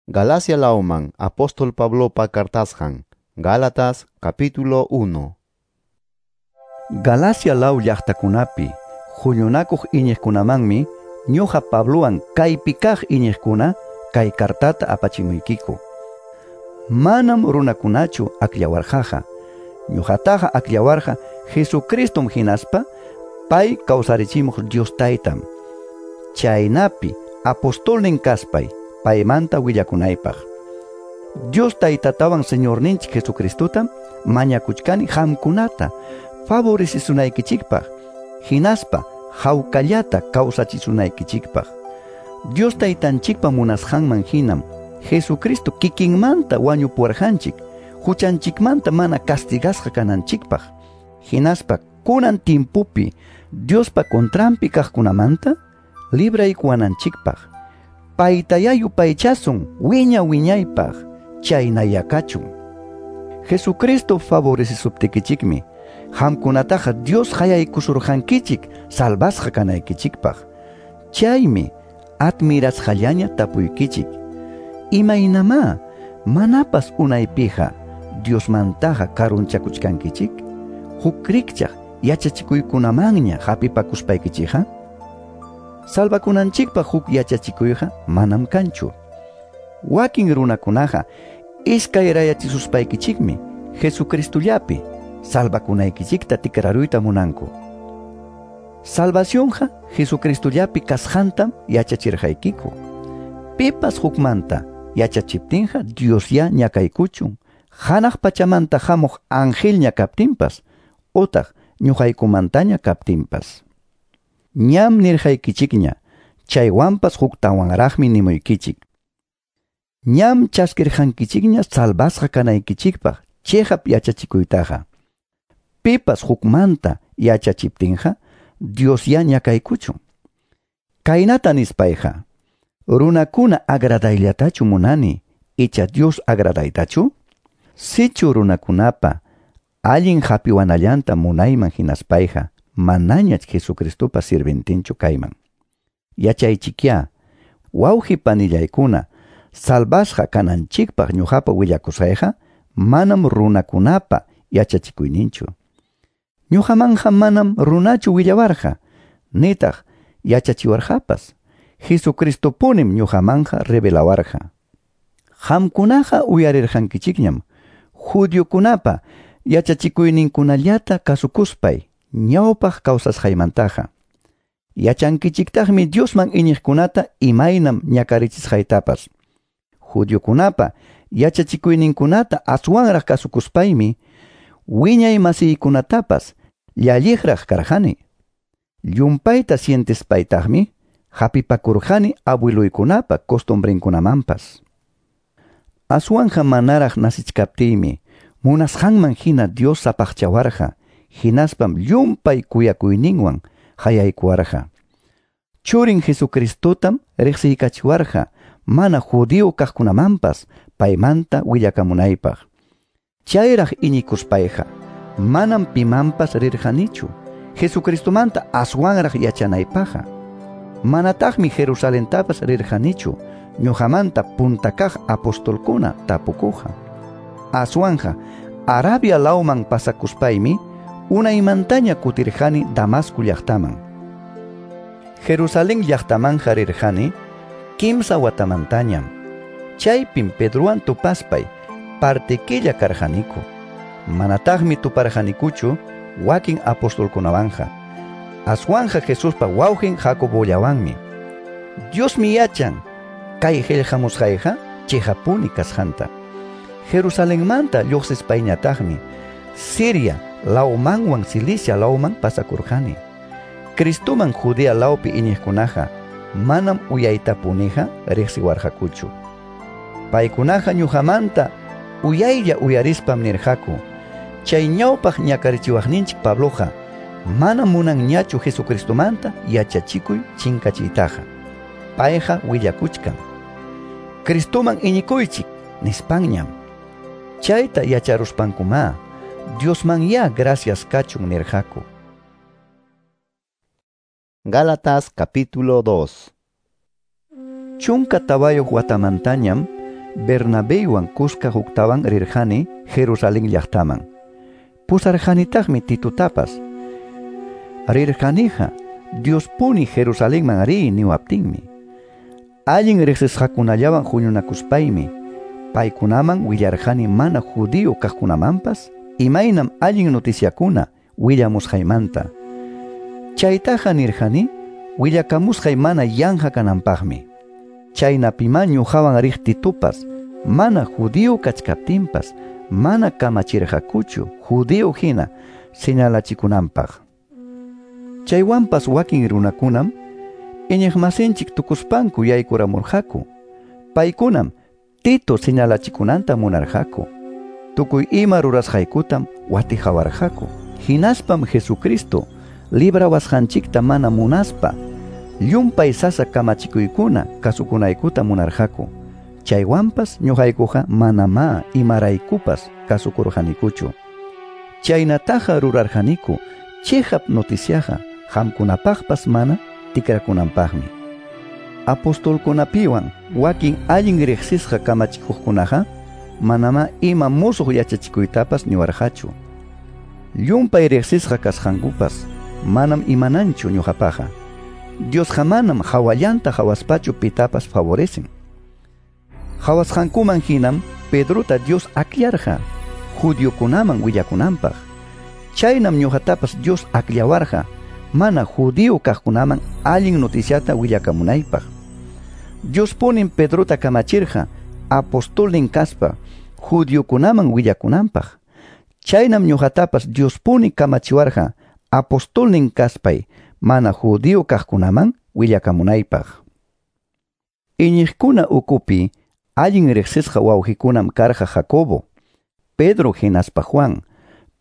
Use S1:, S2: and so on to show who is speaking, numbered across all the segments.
S1: Galacia lawman apóstol Pablopa cartasqan. Gálatas capítulo 1.
S2: Galacia law llaqtakunapi huñunakuq iñiqkunamanmi ñuqa Pablowan kaypi kaq iñiqkuna kay kartata apachimuykiku. Manam runakunachu akllawarqaqa. Ñuqataqa akllawarqa Jesucristom hinaspa pay kawsarichimuq Dios Taytam. Chaynapi apostolnin kaspay paymanta willakunaypaq. Dios Taytatawan Señorninchik Jesucristotam mañakuchkani qamkunata favorecisunaykichikpaq, hinaspa hawkallata kawsachisunaykichikpaq. Dios Taytanchikpa munasqanman hinam Jesucristo kikinmanta wañupuwarqanchik, huchanchikmanta mana castigasqa kananchikpaq, hinaspa kunan timpupi Diospa contranpi kaqkunamanta libraykuwananchikpaq. Paytaya yupaychasun wiña wiñaypaq, chaynaya kachun. Jesucristo favorecisuptikichikmi qamkunataqa Dios qayaykusurqankichik salvasqa kanaykichikpaq. Chaymi admirasqallaña tapuykichik: imaynamá manapas unaypiqa Diosmantaqa karunchakuchkankichik? Huk rikchaq yachachikuykunamanña hapipakuspaykichikqa? Salvakunanchikpaq huk yachachikuyqa manam kanchu. Wakin runakunaqa iskayrayachisuspaykichikmi Jesucristollapi salvakunaykichikta tikraruyta munanku. Salvacionqa Jesucristollapi kasqantam yachachirqaykiku. Pipas hukmanta yachachiptinqa Diosyá ñakaykuchun, hanaq pachamanta hamuq angelña kaptinpas utaq ñuqaykumantaña kaptinpas. Ñam nirqaykichikña, chaywanpas huktawanraqmi nimuykichik. Ñam chaskirqankichikña salvasqa kanaykichikpaq chiqap yachachikuytaqa. Pipas hukmanta yachachiptinqa Diosyá ñakaykuchun. Kaynata nispayqa, runakuna agradayllatachu munani, icha Dios agradaytachu? Sichu runakunapa allin hapiwanallanta munayman hinaspayqa, manañach Jesucristopa sirventinchu kayman. Yachaychikyá, wawqi panillaykuna, salvasqa kananchikpaq ñuqapa willakusqayqa manam runakunapa yachachikuyninchu. Ñuqamanqa manam runachu willawarqa, nitaq yachachiwarqapas. Jesucristopunim ñuqamanqa revelawarqa. Qamkunaqa uyarirqankichikñam judiokunapa yachachikuyninkunallata kasukuspay ñawpaq kawsasqaymantaqa. Yachankichiktaqmi Diosman iñiqkunata imaynam ñakarichisqaytapas. Judiokunapa yachachikuyninkunata aswanraq kasukuspaymi wiñay masiykunatapas llalliqraq karqani. Llumpayta sientespaytaqmi hapipakurqani abueluykunapa costumbrenkunamanpas. Aswanja manaraq nasichkaptiymi munasqanman hina Dios sapaqchawarqa, hinaspam llumpay kuyakuyninwan hayaykuwarqa. Churin Jesucristotam riqsiykachiwarqa mana judío kaqkunamanpas paymanta willakamunaypaq. Chayraq iñikuspayqa manam pimanpas rirqanichu Jesucristomanta aswanraq yachanaypaqqa. Manataqmi Jerusalentapas rirqanichu ñuqamanta punta kaq apostolkuna tapukuqa. Aswanja Arabia lawman pasakuspaymi unaymantaña kutirqani Damasco llaqtaman. Jerusalén llaqtamanja rirqani kimsa watamantañam. Chaypim Pedrowan tupaspay partikilla karqaniku. Manataqmi tuparqanikuchu wakin apostolkunawanja. Aswanja Jesuspa wawqin Jacobollawanmi. Diosmi yachan kay qillqamusqayqa chiqapuni kasqanta. Jerusalenmanta lluqsispayñataqmi Siria lawmanwan Cilicia lawman pasakurqani. Cristoman Judea lawpi iñiqkunaqa manam uyaytapuniqa riqsiwarqakuchu. Paykunaqa ñuqamanta uyaylla uyarispam nirqaku: chay ñawpaq ñakarichiwaqninchik Pabloqa manam munanñachu Jesucristomanta yachachikuy chinkachiytaqa. Payqa willakuchkan: Cristoman iñikuychik nispanñam. Chayta yacharuspankumá Diosmanyá gracias kachun nirqaku.
S1: Gálatas capítulo 2.
S2: 14 watamantañam Bernabeywan kuska huktawan rirqani Jerusalén llaqtaman. Pusarqanitaqmi Titotapas. Rirqaniqa Diospuni Jerusalenman riy niwaptinmi. Allin riqsisqakunallawan huñunakuspaymi paykunaman willarqani mana judío kaqkunamanpas imaynam allin noticiakuna willamusqaymanta. Chaytaqa nirqani willakamusqay mana yanqa kananpaqmi. Chaynapima ñuqawan riq Titopas mana judío kachkaptinpas mana kamachirqakuchu judío hina señalachikunanpaq. Chaywanpas wakin runakunam iñiqmasinchik tukuspanku yaykuramurqaku. Paykunam Tito señalachikunanta munarqaku. Tukuy ima rurasqaykutam watiqawarqaku. Hinaspam Jesucristo librawasqanchikta mana munaspa llumpay sasa kamachikuykuna kasukunaykuta munarqaku. Chaywanpas ñuqaykuqa manamá imaraykupas kasukurqanikuchu. Chaynataqa rurarqaniku chiqap noticiaqa qamkunapaqpas mana tikrakunanpaqmi. Apostolkunapiwan wakin allin riqsisqa kamachikuqkunaqa manamá ima musuq yachachikuytapas niwarqachu. Llumpay riqsisqa kasqankupas manam imananchu ñuqapaqa. Diosqa manam hawallanta hawaspachu pitapas favorecen. Hawasqankuman hinam Pedrota Dios aklarqa judiokunaman willakunanpaq. Chaynam ñuqatapas Dios akllawarqa mana judío kaqkunaman allin noticiata willakamunaypaq. Diospunim Pedrota kamachirqa apostolnin kaspa judiokunaman willakunanpaq. Chaynam ñuqatapas Diospuni kamachiwarqa apostolnin kaspay mana judío kaqkunaman willakamunaypaq. Iñiqkuna ukupi allin riqsisqa wawqikunam karqa Jacobo, Pedro hinaspa Juan.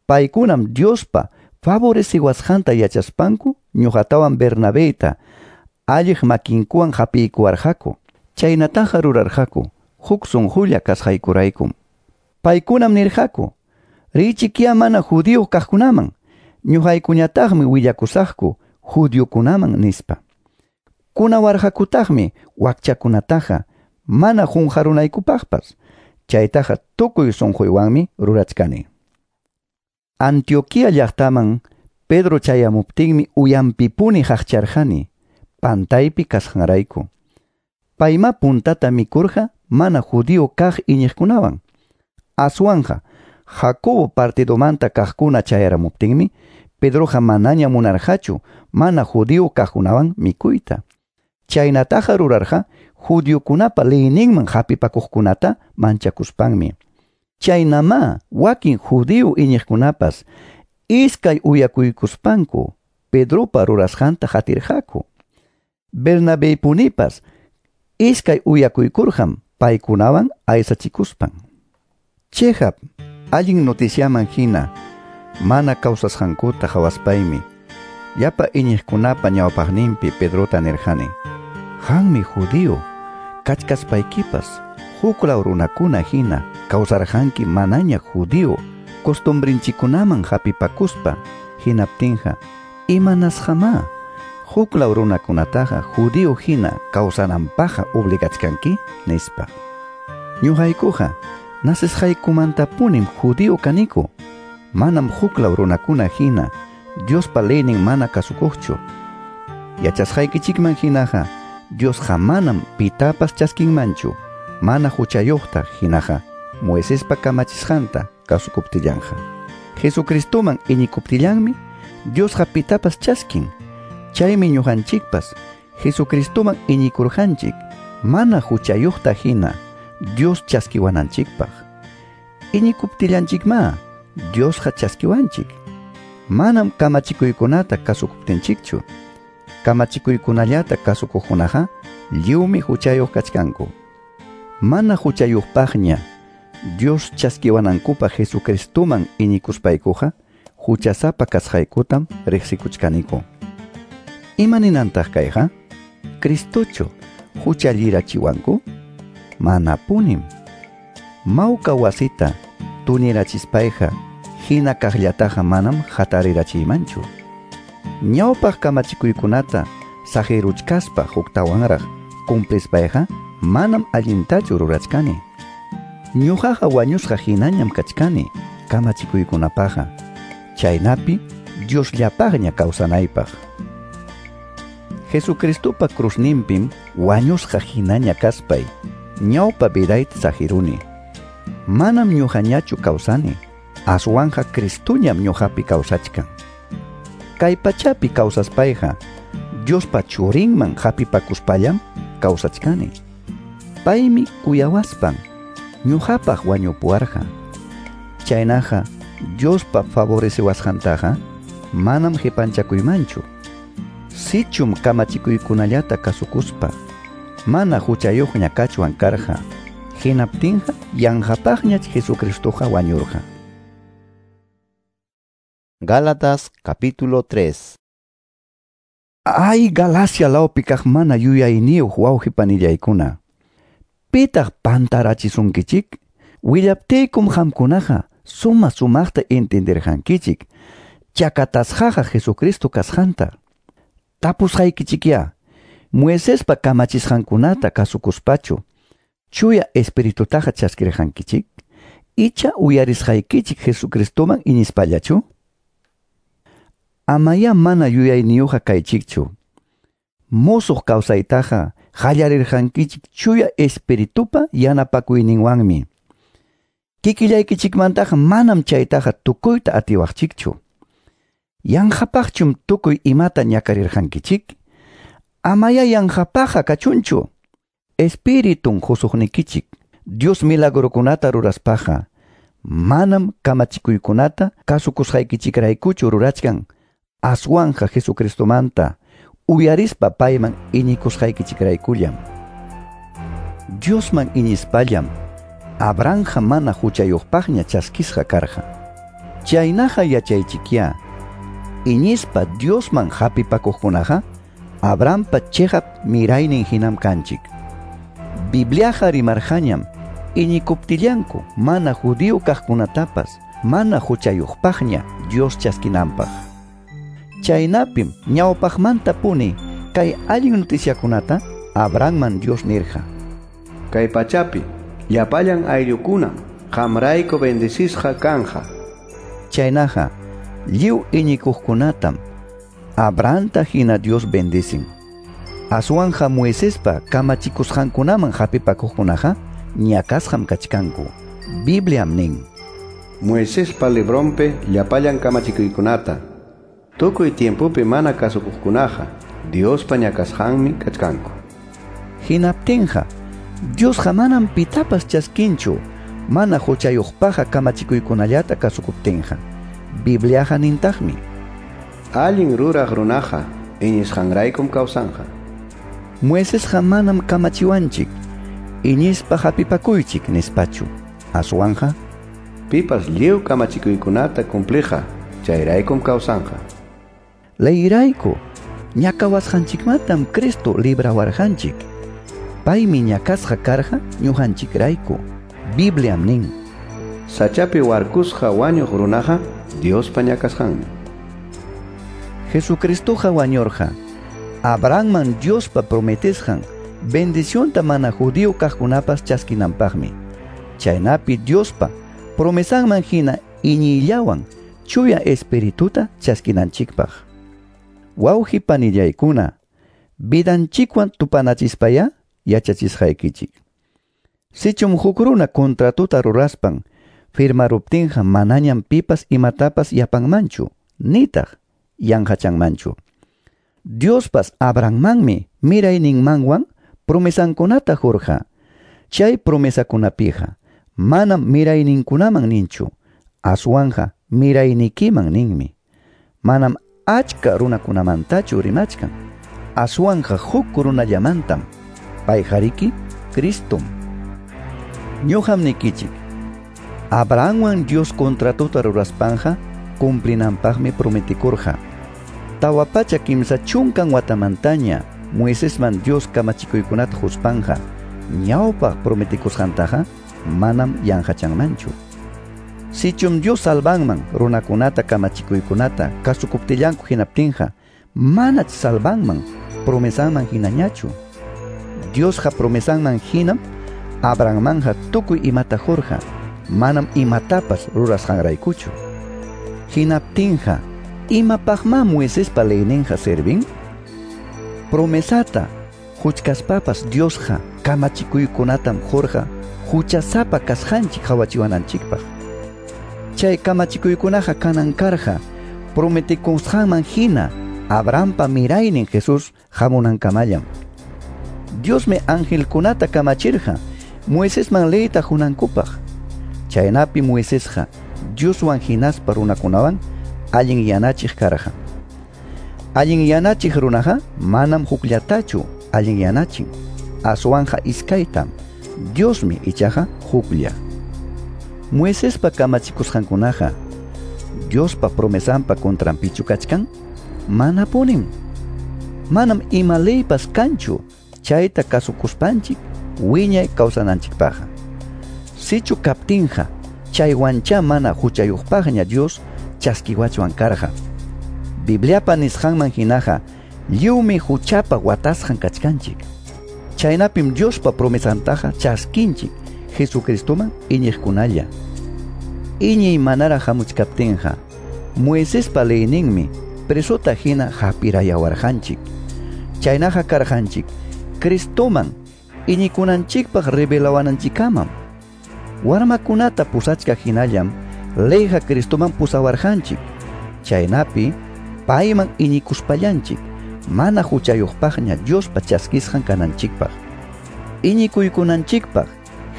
S2: Paykunam Diospa favoreciwasqanta yachaspanku ñuqatawan Bernabeyta alliq makinkuwan hapiykuwarqaku. Chaynataqa rurarqaku huk sunqulla kasqaykuraykum. Paykunam nirqaku: "Richikyá mana judío kaqkunaman, ñuqaykuñataqmi willakusaqku judiokunaman" nispa. Kunawarqakutaqmi wakchakunataqa mana qunqarunaykupaqpas. Chaytaqa tukuy sunquywanmi rurachkani. Antioquia llaqtaman Pedro chayamuptinmi uyanpipuni haqcharqani pantaypi kasqanrayku. Payma puntata mikurqa mana judío kaq iñiqkunawan. Aswanqa Jacobo partidomanta kaqkuna chayaramuptinmi Pedroqa manaña munarqachu mana judío kaqkunawan mikuyta. Chaynataqa rurarqa judiokunapa leyninman hapipakuqkunata manchakuspanmi. Chaynamá wakin judío iñiqkunapas iskay uyakuykuspanku Pedropa rurasqanta qatirqaku. Bernabeypunipas iskay uyakuykurqam paykunawan aysachikuspan. Chiqap allin noticiaman hina mana kawsasqankuta hawaspaymi llapa iñiqkunapa ñawpaqninpi Pedrota nirqani: "Qanmi judío kachkaspaykipas huklaw runakuna hina kawsarqanki manaña judío costumbrinchikkunaman hapipakuspa. Hinaptinqa imanasqamá huklaw runakunataqa judío hina kawsananpaqqa obligachkanki?" nispa. Ñuqaykuqa nacesqaykumantapunim judío kaniku. Manam huklaw runakuna hina Diospa leynin mana kasukuqchu. Yachasqaykichikman hinaqa Diosqa manam pitapas chaskinmanchu mana huchayuqta hinaqa Moisespa kamachisqanta kasukuptillanqa. Jesucristoman iñikuptillanmi Diosqa pitapas chaskin. Chaymi ñuqanchikpas Jesucristoman iñikurqanchik mana huchayuqta hina Dios chaskiwananchikpaq. Iñikuptillanchikma Diosqa chaskiwanchik. Manam kamachikuykunata kasukuptinchikchu. Kamachikuykunallata kasukuqkunaqa lliwmi huchayuq kachkanku. Mana huchayuqpaqña Dios chaskiwanankupaq Jesucristoman iñikuspaykuqa huchasapa kasqaykutam riqsikuchkaniku. Ima ninantaq kayqa? Cristochu huchallirachiwanku? Manapunim. Mawka wasita tunirachispayqa hina kaqllataqa manam hatarirachiymanchu. Ñawpaq kamachikuykunata saqiruchkaspa huktawanraq cumplispayqa manam allintachu rurachkani. Ñuqaqa wañusqa hinañam kachkani kamachikuykunapaqqa, chaynapi Diosllapaqña kawsanaypaq. Jesucristopa cruzninpim wañusqa hinaña kaspay ñawpa vidayta saqiruni. Manam ñuqañachu kawsani, aswanqa Cristoñam ñuqapi kawsachkan. Kay pachapi kawsaspayqa Diospa churinman hapipakuspallam kawsachkani. Paymi kuyawaspan ñuqapaq wañupuwarqa. Chaynaqa Diospa favoreciwasqantaqa manam qipanchakuymanchu. Sichum kamachikuykunallata kasukuspa mana huchayuqña kachwan karqa, hinaptinqa yanqapaqñach Jesucristoqa wañurqa.
S1: Gálatas capítulo 3.
S2: Ay, Galacia lawpi kaq mana yuyayniyuq wawqi panillaykuna. Pitaq pantarachisunkichik? Willaptiykum qamkunaqa suma sumaqta entenderqankichik chakatasqaqa Jesucristo kasqanta. Tapusqaykichikyá, Moisespa kamachisqankunata kasukuspachu chuya espiritutaqa chaskirqankichik? Icha uyarisqaykichik Jesucristoman iñispallachu? Amaya mana yuyayniyuqqa kaychikchu. Musuq kawsaytaqa qallarirqankichik chuya espiritupa yanapakuyninwanmi. Kikillaykichikmantaqa manam chaytaqa tukuyta atiwaqchikchu. Yanqapaqchum tukuy imata ñakarirqankichik? Amaya yanqapaqqa kachunchu. Espiritun qusuqnikichik Dios milagrokunata ruraspaqa manam kamachikuykunata kasukusqaykichikraykuchu rurachkan, aswanqa Jesucristomanta uyarispa payman iñikusqaykichikraykullam. Diosman iñispallam Abrahamqa mana huchayuqpaqña chaskisqa karqa. Chaynaqa yachaychikyá, iñispa Diosman hapipakuqkunaqa Abrahampa chiqap miraynin hinam kanchik. Bibliaqa rimarqañam iñikuptillanku mana judío kaqkunatapas mana huchayuqpaqña Dios chaskinanpaq. Chaynapim ñawpaqmantapuni kay allin noticiakunata Abrahamman Dios nirqa:
S3: Kay pachapi llapallan ayllukunam qamrayku bendecisqa kanja.
S2: Chaynaqa lliw iñikuqkunatam Abrahamta hina Dios bendicin. Aswanja Moisespa kamachikusqankunaman hapipakuqkunaqa ñakasqam kachkanku. Bibliam nin:
S3: Moisespa libronpi llapallan kamachikuykunata tukuy tiempopi mana kasukuqkunaqa Diospa ñakasqanmi kachkanku.
S2: Hinaptinqa Diosqa manam pitapas chaskinchu mana huchayuqpaqqa kamachikuykunallata kasukuptinqa. Bibliaqa nintaqmi:
S3: Allin ruraq runaqa iñisqanraykum kawsanqa.
S2: Moisesqa manam kamachiwanchik iñispa hapipakuychik nispachu. Aswanqa
S3: pipas lliw kamachikuykunata cumpliqa chayraykum kawsanqa.
S2: Leyrayku ñakawasqanchikmantam Cristo librawarqanchik. Paymi ñakasqa karqa ñuqanchikrayku. Bibliam nin:
S3: Sachapi warkusqa wañuq runaqa Diospa ñakasqanmi.
S2: Jesucristoqa wañurqa Abrahamman Diospa prometesqan bendicionta mana judío kaqkunapas chaskinanpaqmi. Chaynapi Diospa promesanman hina iñiyllawan chuya espirituta chaskinanchikpaq. Wawqi panillaykuna, vidanchikwan tupanachispaya yachachisqaykichik. Sichum huk runa contratuta ruraspan firmaruptinqa manañam pipas imatapas yapanmanchu, nitaq yanqachanmanchu. Diospas Abrahammanmi mirayninmanwan promesankunata qurqa. Chay promesakunapiqa manam mirayninkunaman ninchu, aswanja miraynikiman ninmi. Manam achka runakunamantachu rimachkan, aswanja huk runallamantam, payqariki Cristom. Ñuqam nikichik, Abrahamwan Dios contratuta ruraspanja cumplinanpaqmi prometikurqa. 430 watamantaña Moisesman Dios kamachikuykunata huspanja ñawpaq prometikusqantaqa manam yanqachanmanchu. Sichum Dios salvanman runakunata kamachikuykunata kasukuptillanku hinaptinqa manach salvanman promesanman hinañachu. Diosqa promesanman hinam Abrahammanja tukuy imata qurqa, manam imatapas rurasqanraykuchu. Hinaptinqa, imapaqmá Moisespa leyninqa servin? Promesata huchkaspapas Diosqa kamachikuykunatam qurqa huchasapa kasqanchik qawachiwananchikpaq. Chay kamachikuykunaqa kanan karqa prometikusqanman hina Abrahampa miraynin Jesús hamunankamallam. Diosmi angelkunata kamachirqa Moisesman leyta hunankupaq. Chaynapi Moisesqa Dioswan hinaspa runakunawan allin yanachiq karqa. Allin yanachiq runaqa manam hukllatachu allin yanachin, aswanqa iskaytam. Diosmi ichaqa huklla. Moisespa kamachikusqankunaqa Diospa promesanpa contranpichu kachkan? Manapunim. Manam ima leypas kanchu chayta kasukuspanchik wiñay kawsananchikpaqqa. Sichu kaptinqa chaywancha mana huchayuqpaqña Dios chaskiwachwan karqa. Bibliapa nisqanman hinaqa lliwmi huchapa watasqan kachkanchik. Chaynapim Diospa promesantaqa chaskinchik Jesucristoman iñiqkunalla. Iñiy manaraq hamuchkaptinqa Moisespa leyninmi presota hina hapirayawarqanchik. Chaynaqa karqanchik Cristoman iñikunanchikpaq revelawananchikkamam. Warmakunata pusachkaq hinallam leyqa Cristoman pusawarqanchik. Chaynapi payman iñikuspallanchik mana huchayuqpaqña Diospa chaskisqan kananchikpaq. Iñikuykunanchikpaq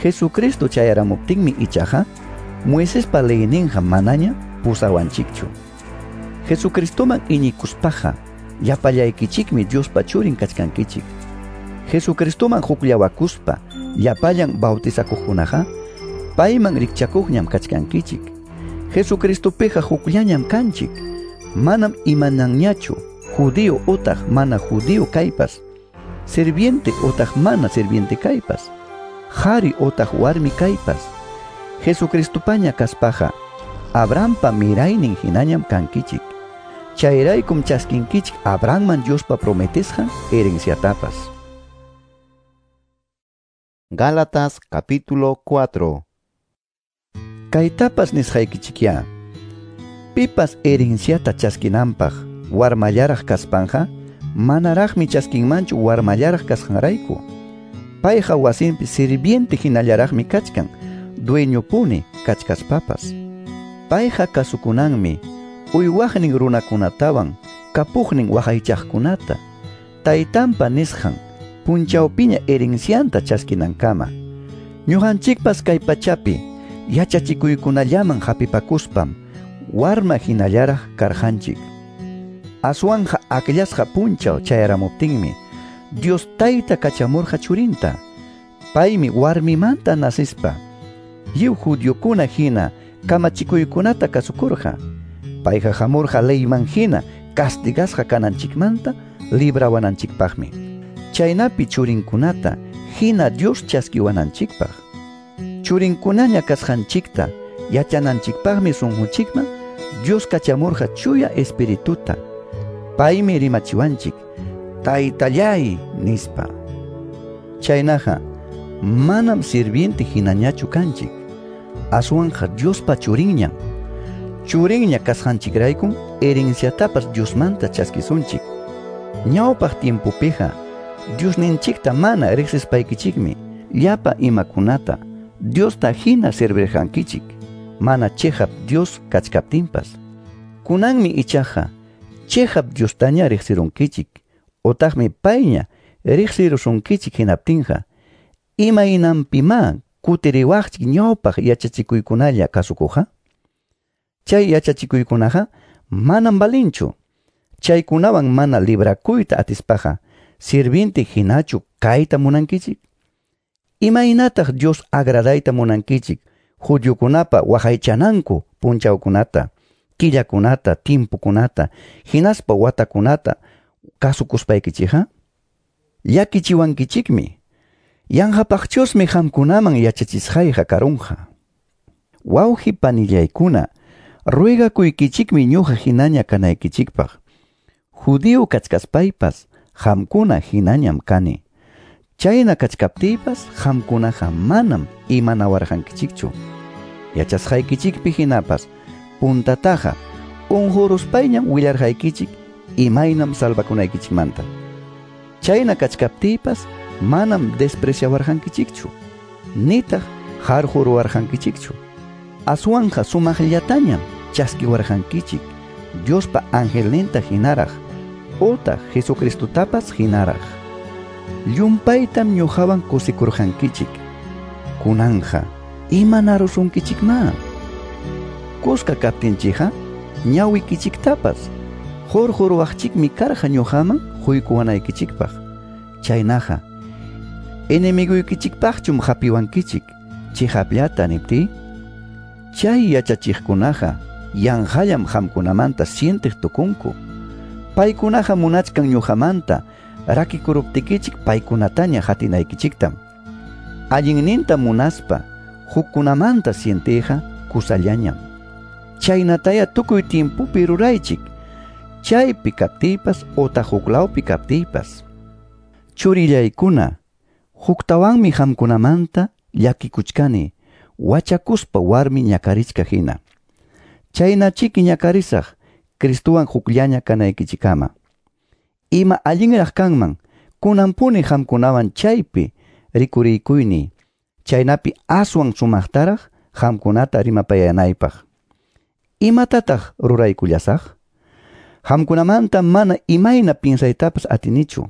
S2: Jesucristo chayaramuptinmi ichaqa Moisespa leyninqa manaña pusawanchikchu. Jesucristoman iñikuspaqa llapallaykichikmi Diospa churin kachkankichik. Jesucristoman hukllawakuspa llapallan bautizakuqkunaqa payman rikchakuqñam kachkankichik. Jesucristopiqa hukllañam kanchik. Manam imananñachu judío otaq mana judío kaypas, sirviente otaq mana sirviente kaypas, qhari otaq warmi kaypas. Jesucristopaña kaspaqa Abrahampa miraynin hinañam kankichik. Chayraykum chaskinkichik Abrahamman Diospa prometesqan herenciatapas.
S1: Gálatas capítulo 4.
S2: Kaytapas nisqaykichikya. Pipas herenciata chaskinanpaq warmallaraq kaspanja manaraqmi chaskinmanchu warmallaraq kasqanrayku. Payqa wasinpi sirviente hinallaraqmi kachkan, dueñopuni kachkaspapas. Payqa kasukunanmi uywaqnin runakunatawan kapuqnin waqaychaqkunata, taytanpa nisqan punchawpiña herencianta chaskinankama. Ñuqanchikpas kay pachapi yachachikuykunallaman hapipakuspam warma hinallaraq karqanchik. Aswanja akllasqa punchaw chayaramuptinmi Dios tayta kachamurqa churinta. Paymi warmimanta nasispa lliw judiokuna hina kamachikuykunata kasukurqa. Payqa hamurqa leyman hina castigasqa kananchikmanta librawananchikpaqmi. Chaynapi churinkunata hina Dios chaskiwananchikpaq. Churinkunaña kasqanchikta yachananchikpaqmi sunqunchikman Dios kachamurqa chuya espirituta. Paymi rimachiwanchik taytallay nispa. Chaynaqa manam sirviente hinañachu kanchik, aswanqa Diospa churinñam. Churinña kasqanchikraykum herenciatapas Diosmanta chaskisunchik. Ñawpaq tiempopiqa Diosninchikta mana riqsispaykichikmi llapa imakunata Diosta hina servirqankichik, mana chiqap Dios kachkaptinpas. Kunanmi ichaqa chiqap Diostaña riqsirunkichik, otaqmi payña riqsirusunkichik hinaptinqa imaynanpimá kutiriwaqchik ñawpaq yachachikuykunalla kasukuqqa? Chay yachachikuykunaqa manam valinchu. Chaykunawan mana librakuyta atispaqa sirviente hinachu kayta munankichik? Imaynataq Dios agradayta munankichik judiokunapa waqaychananku punchawkunata, killakunata, timpukunata, hinaspa watakunata kasukuspaykichikqa? Llakichiwankichikmi. Yanqapaqchusmi qamkunaman yachachisqayqa karunqa. Wawqi panillaykuna, ruegakuykichikmi ñuqa hinaña kanaykichikpaq. Judío kachkaspaypas qamkuna hinañam kani. Chayna kachkaptiypas qamkunaqa manam imanawarqankichikchu. Yachasqaykichikpi hinapas puntataqa unquruspayñam willarqaykichik imaynam salvakunaykichikmanta. Chayna kachkaptiypas manam despreciawarqankichikchu, nitaq harquruwarqankichikchu. Aswanqa sumaqllatañam chaskiwarqankichik Diospa angelninta hinaraq utaq Jesucristotapas hinaraq. Llumpaytam ñuqawan kusikurqankichik. Kunanja imanarusunkichikma. Kuska kaptinchikqa ñawikichiktapas hurquruwaqchikmi karqa ñuqaman huykuwanaykichikpaq. Chaynaqa enemiguykichikpaqchum hapiwankichik chiqapllata niptiy. Chay yachachiqkunaqa yanqallam qamkunamanta sientiq tukunku. Paykunaqa munachkan ñuqamanta rakikuruptikichik paykunataña hatinaykichiktam. Allinninta munaspa hukkunamanta sientiyqa kusallañam. Chaynataya tukuy tiempopi ruraychik, chaypi kaptiypas otaq huklawpi kaptiypas. Churillaykuna, huktawanmi qamkunamanta llakikuchkani, wachakuspa warmi ñakarichka hina. Chaynachiki ñakarisaq Cristowan hukllaña kanaykichikama. Ima allinraq kanman kunanpuni qamkunawan chaypi rikurikuyni, chaynapi aswan sumaqtaraq qamkunata rimapayanaypaq. Imatataq ruraykullasaq? Qamkunamanta mana imayna piensaytapas atinichu.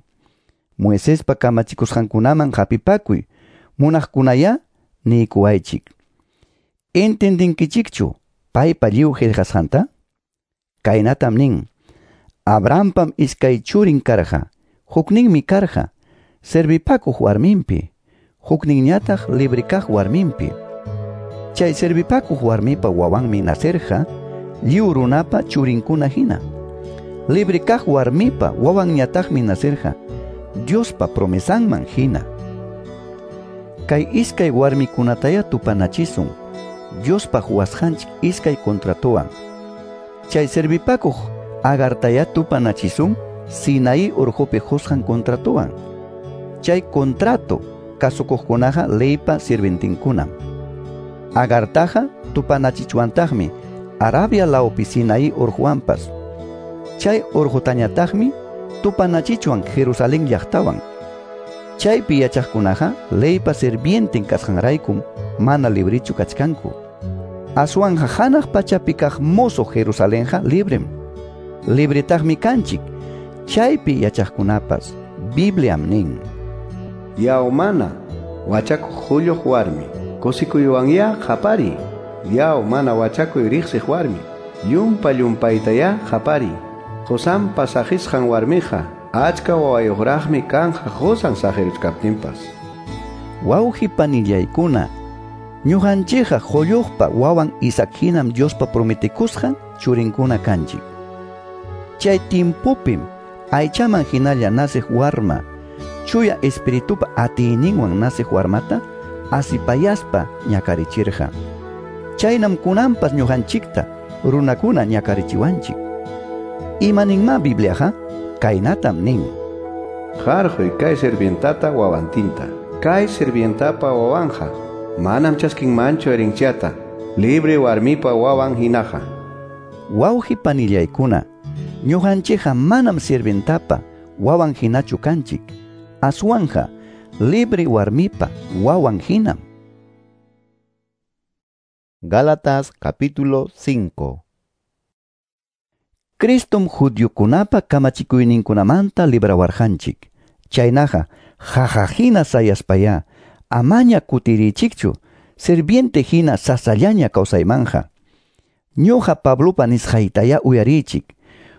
S2: Moisespa kamachikusqankunaman hapipakuy munaqkunaya niykuwaychik. Entendinkichikchu paypa lliw qillqasqanta? Kaynatam nin: Abrahampam iskay churin karqa, hukninmi karqa servipakuq warminpi, hukninñataq libre kaq warminpi. Chay servipakuq warmipa wawanmi nacerqa lliw runapa churinkuna hina. Libre kaq warmipa wawanñataqmi nacerqa Diospa promesanman hina. Kay iskay warmikunataya tupanachisun Diospa huwasqanchik iskay contratowan. Chay servipakuq Agartaya tupanachisun Sinaí urqupi qusqan contratowan. Chay contrato kasukuqkunaqa leypa sirvientinkunam. Agartaqa tupanachichwantaqmi Arabia lawpi Sinaí urquwanpas. Chay urqutañataqmi tupanachichwan Jerusalén llaqtawan. Chaypi yachaqkunaqa leypa sirvientin kasqanraykum mana librichu kachkanku. Aswanja hanaq pachapi kaq mozo Jerusalenqa librem. Libretaqmi kanchik. Chaypi yachaqkunapas Bibliam nin:
S3: Yaw mana wachakuq hulluq warmi, kusikuywan qapari. Yaw mana wachakuy riqsiq warmi, llumpa llumpaytaya qapari. Qusanpa saqisqan warmiqa achka wawayuqraqmi kanja qusan saqiruchkaptinpas.
S2: Wawqi panillaykuna, ñuqanchikqa qulluqpa wawan Isaac hinam Diospa prometikusqan churinkuna kanchik. Chay tiempopim aychaman hinalla naciq warma, chuya espiritupa atiyninwan naciq warmata asipayaspa ñakarichirqa. Chaynam kunanpas ñuqanchikta runakuna ñakarichiwanchik. Imaninma Bibliaqa? Kaynatam nin:
S3: Harquy kay sirvientata wawantinta. Kay sirvientapa wawanja manam chaskinmanchu herenciata, libre warmipa wawan hinaqa.
S2: Wawqi panillaykuna, ñuqanchikqa manam sirvientapa wawan hinachu kanchik, aswanja libre warmipa wawan hinam.
S1: Gálatas capítulo 5.
S2: Cristom judiokunapa kamachikuyninkunamanta librawarqanchik. Chaynaqa jajajina sayaspaya amaña kutirichikchu sirviente hina sasallaña kawsaymanja. Ñuqa Pablopa nisqaytaya uyarichik.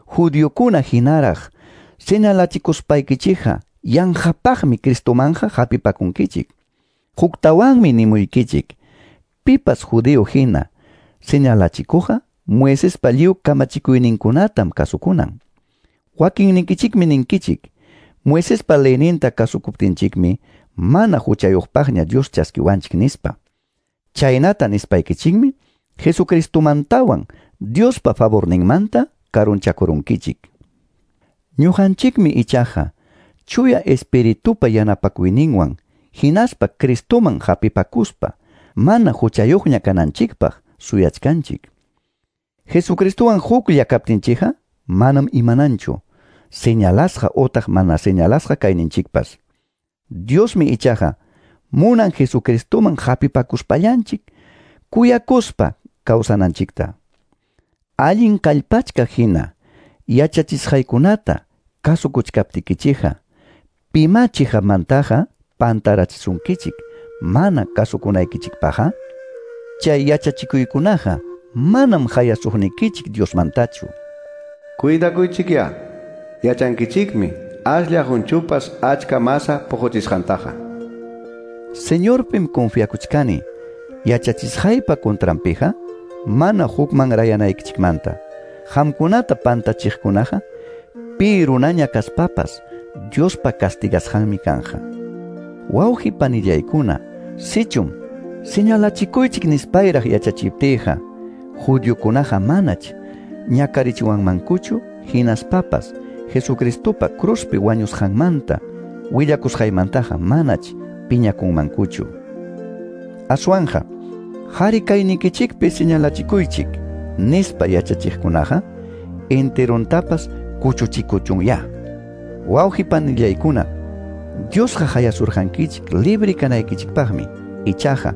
S2: Judiokuna hinaraq señalachikuspaykichikqa yanqapaqmi Cristomanja hapipakunkichik. Huktawanmi nimuykichik. Pipas judío hina señalachikuqa Moisespa lliw kamachikuyninkunatam kasukunan. Wakinninkichikmi ninkichik, Moisespa leyninta kasukuptinchikmi mana huchayuqpaqña Dios chaskiwanchik nispa. Chaynata nispaykichikmi Jesucristomantawan Diospa favorninmanta karunchakurunkichik. Ñuqanchikmi ichaqa Chuya Espiritupa yanapakuyninwan hinaspa Cristoman hapipakuspa mana huchayuqña kananchikpaq suyachkanchik. Jesucristowan huklla kaptinchikqa manam imananchu señalasqa otaq mana señalasqa kayninchikpas. Diosmi ichaqa munan Jesucristoman hapipakuspallanchik kuyakuspa kawsananchikta. Allin kallpachka hina yachachisqaykunata kasukuchkaptikichikqa pima chiqamantaqa pantarachisunkichik mana kasukunaykichikpaqqa. Chay yachachikuykunaqa manam hayasuqnikichik Diosmantachu.
S3: Cuidakuychikya, yachankichikmi aslla hunchupas achka masa puquchisqantaqa.
S2: Señorpim confiakuchkani yachachisqaypa contranpiqa mana hukman rayanaykichikmanta. Qamkunata pantachiqkunaqa pi runaña kaspapas Diospa castigasqanmi kanja. Wawqi panillaykuna, sichum señalachikuychik nispayraq yachachiptiyqa judiokunaqa manach ñakarichiwanmankuchu hinaspapas Jesucristopa cruzpi wañusqanmanta willakusqaymantaqa manach piñakunmankuchu. Aswanja qhari kaynikichikpi señalachikuychik nispa yachachiqkunaqa enterontapas kuchuchikuchunya. Wawqi panillaykuna, Diosqa hayasurqankichik libre kanaykichikpaqmi. Ichaqa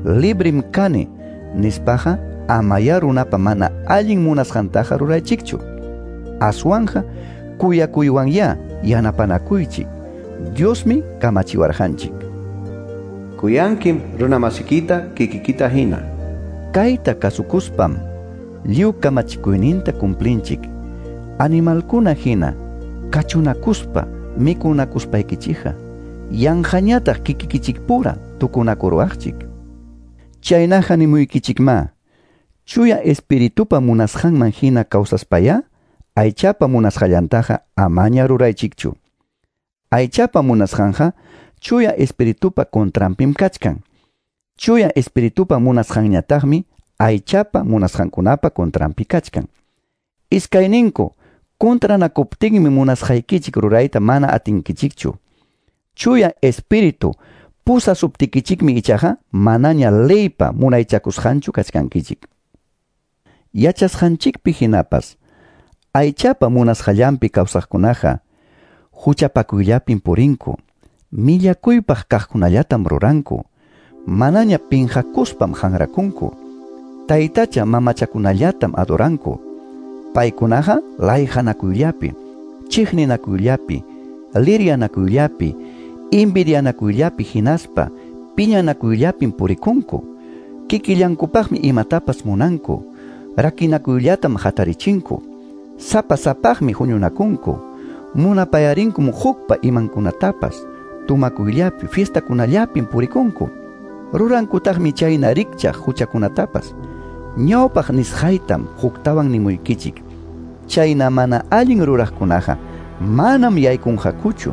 S2: librim kani nispaqa amaya runapa mana allin munasqantaqa ruraychikchu. Aswanja kuyakuywanya yanapanakuychik. Diosmi kamachiwarqanchik.
S3: Kuyankim runamasikita kikikita hina.
S2: Kayta kasukuspam lliw kamachikuyninta cumplinchik. Animalkuna hina kachunakuspa mikunakuspaykichikqa yanqañataq kikikichikpura tukunakuruwaqchik. Chaynaqa nimuykichikma, Chuya Espiritupa munasqanman hina kawsaspaya aychapa munasqallantaqa amaña ruraychikchu. Aychapa munasqanqa Chuya Espiritupa contranpim kachkan. Chuya Espiritupa munasqanñataqmi aychapa munasqankunapa contranpi kachkan. Iskayninku contranakuptinmi munasqaykichik rurayta mana atinkichikchu. Chuya Espíritu pusasuptikichikmi ichaqa manaña leypa munaychakusqanchu kachkankichik. Yachasqanchikpi hinapas aychapa munasqallanpi kawsaqkunaqa huchapakuyllapim purinku, millakuypaq kaqkunallatam ruranku, manaña pinqakuspam hanrakunku, taytacha mamachakunallatam adoranku. Paykunaqa layqanakuyllapi, chiqninakuyllapi, liryanakuyllapi, envidianakuyllapi hinaspa piñanakuyllapim purikunku. Kikillankupaqmi imatapas munanku, rakinakuyllatam hatarichinku, sapa sapaqmi huñunakunku, munapayarinkum hukpa imankunatapas, tumakuyllapi, fiestakunallapim purikunku. Rurankutaqmi chayna rikchaq huchakunatapas. Ñawpaq nisqaytam huktawan nimuykichik. Chayna mana allin ruraqkunaqa manam yaykunqakuchu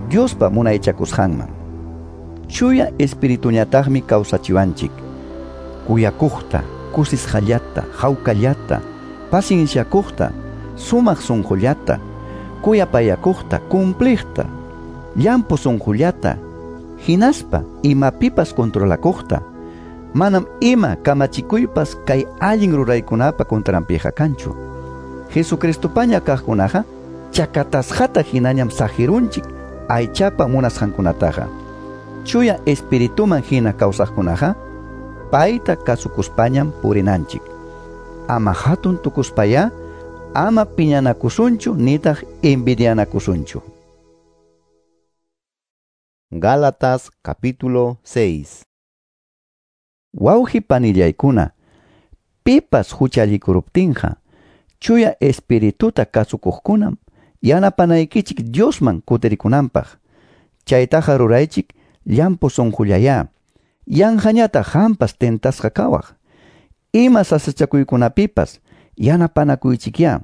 S2: Diospa munaychakusqanman. Chuya Espirituñataqmi kawsachiwanchik. Kuyakuqta, kusisqallata, hawkallata, pacienciakuqta, sumaq sunqullata, kuyapayakuqta, cumpliqta, llampu sunqullata, hinaspa imapipas controlakuqta. Manam ima kamachikuypas kay allin ruraykunapa contranpiqa kanchu. Jesucristopaña kaqkunaqa chakatasqata hinañam saqirunchik aychapa munasqankunataqa. Chuya Espirituman hina kawsaqkunaqa payta kasukuspañam purinanchik. Ama hatun tukuspaya, ama piñanakusunchu nitaq envidianakusunchu.
S1: Gálatas capítulo 6.
S2: Wawqi panillaykuna, pipas huchallikuruptinqa Chuya Espirituta kasukuqkunam yanapanaykichik Diosman kutirikunanpaq. Chaytaqa ruraychik llampu sunqullayá. Yanqañataq qampas tentasqa kawaq. Ima sasachakuykunapipas yanapanakuychikyá.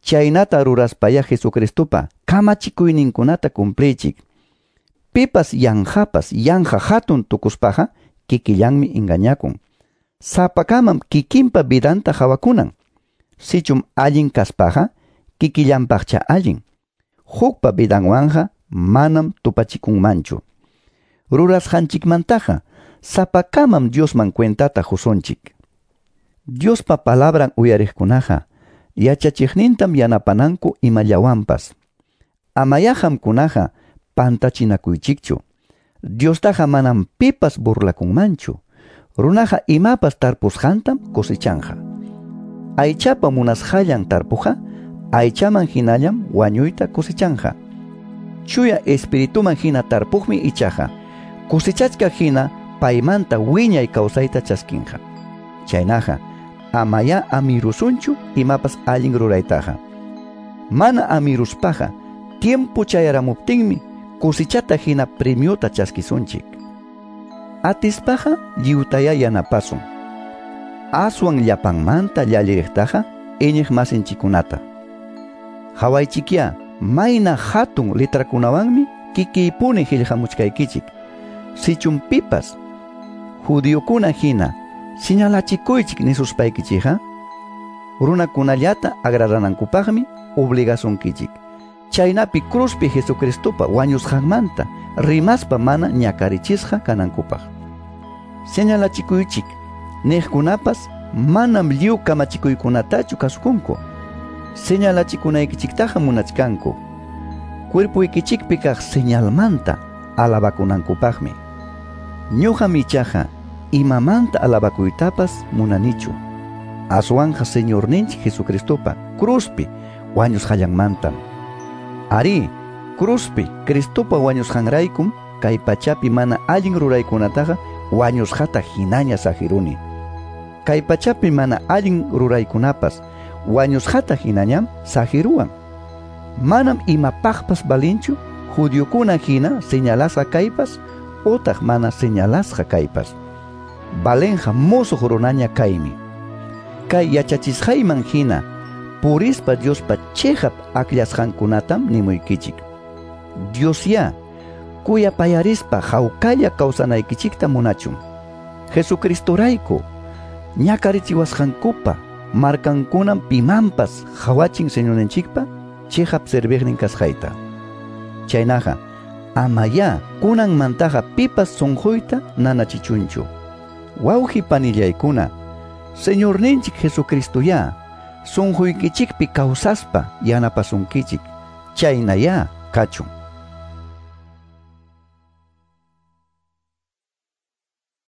S2: Chaynata ruraspaya Jesucristopa kamachikuyninkunata cumpliychik. Pipas yanqapas yanqa hatun tukuspaqa kikillanmi engañakun. Sapakamam kikinpa vidanta hawakunan. Sichum allin kaspaqa kikillanpaqcha allin. Hukpa vidanwanqa manam tupachikunmanchu. Rurasqanchikmantaqa sapakamam Diosman cuentata qusunchik. Diospa palabran uyariqkunaqa yachachiqnintam yanapananku imallawanpas. Amayá qamkunaqa pantachinakuychikchu. Diostaqa manam pipas burlakunmanchu. Runaqa imapas tarpusqantam cosechanqa. Aychapa munasqallan tarpuqa, aychaman hinallam wañuyta cosechanqa. Chuya espirituman hina tarpuqmi ichaqa, cosechachka hina paymanta wiñay kawsayta chaskinqa. Chaynaqa, amayá amirusunchu imapas allin ruraytaqa. Mana amiruspaqa, tiempo chayaramuptinmi cosechata hina premiota chaskisunchik. Atispaqa lliwtayá yanapasun. Aswan llapanmanta llalliriqtaqa iñiq masinchikunata. Hawaychikyá mayna hatun letrakunawanmi kikiypuni qillqamuchkaykichik. Sichum pipas judiokuna hina señalachikuychik nisuspaykichikqa, runakunallata agraranankupaqmi obligasunkichik. Chaynapi cruzpi Jesucristopa wañusqanmanta rimaspa mana ñakarichisqa kanankupaq. Señalachikuychik niqkunapas manam lliw kamachikuykunatachu kasukunku. Señalachikunaykichiktaqa munachkanku. Cuerpuykichikpi kaq señalmanta alabakunankupaqmi. Ñuqam ichaqa imamanta alabakuytapas munanichu. Aswanqa Señorninchik Jesucristopa cruzpi wañusqallanmantam. Arí, cruzpi Cristopa wañusqanraykum kay pachapi mana allin ruraykunataqa wañusqata hinaña saqiruni. Kay pachapi mana allin ruraykunapas wañusqata hinañam saqiruwan. Manam imapaqpas valinchu judiokuna hina señalasqa kaypas utaq mana señalasqa kaypas. Valenqa musuq runaña kaymi. Kay yachachisqayman hina purispa Diospa chiqap akllasqankunatam nimuykichik. Diosyá kuyapayarispa hawkalla kawsanaykichikta munachun. Jesucristorayku ñakarichiwasqankupa markankunam pimanpas hawachin Señorninchikpa chiqap serviqnin kasqayta. Chaynaqa amayá kunanmantaqa pipas sunquyta nanachichunchu. Wawqi panillaykuna, Señorninchik Jesucristoyá sunquykichikpi kawsaspa yanapasunkichik. Chaynayá kachun.